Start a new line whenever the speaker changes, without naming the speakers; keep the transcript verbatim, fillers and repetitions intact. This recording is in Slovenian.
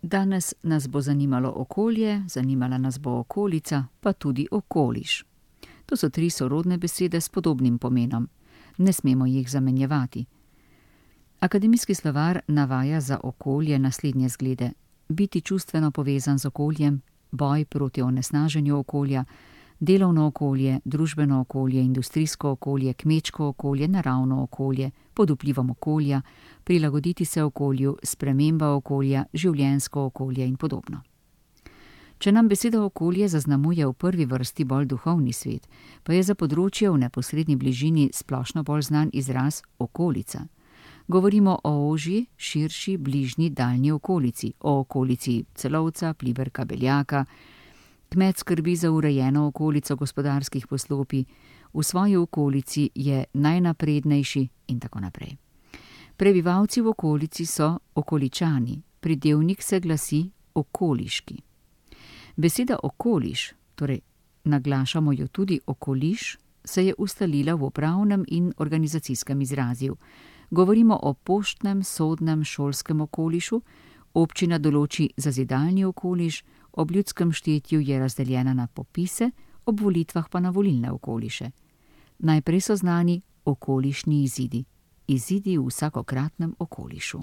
Danes nas bo zanimalo okolje, zanimala nas bo okolica, pa tudi okoliš. To so tri sorodne besede s podobnim pomenom. Ne smemo jih zamenjevati. Akademijski slovar navaja za okolje naslednje zglede: biti čustveno povezan z okoljem, boj proti onesnaženju okolja, delovno okolje, družbeno okolje, industrijsko okolje, kmečko okolje, naravno okolje, pod vplivom okolja, prilagoditi se okolju, sprememba okolja, življenjsko okolje in podobno. Če nam beseda okolje zaznamuje v prvi vrsti bolj duhovni svet, pa je za področje v neposredni bližini splošno bolj znan izraz okolica. Govorimo o ožji, širši, bližnji, daljni okolici, o okolici Celovca, Pliberka, Beljaka. Kmet skrbi za urejeno okolico gospodarskih poslopij, v svoji okolici je najnaprednejši in tako naprej. Prebivalci v okolici so okoličani, pridevnik se glasi okoliški. Beseda okoliš, torej naglašamo jo tudi okoliš, se je ustalila v upravnem in organizacijskem izrazju. Govorimo o poštnem, sodnem, šolskem okolišu, občina določi zazidalni okoliš, ob ljudskem štetju je razdeljena na popise, ob volitvah pa na volilne okoliše. Najprej so znani okolišni izidi, izidi v vsakokratnem okolišu.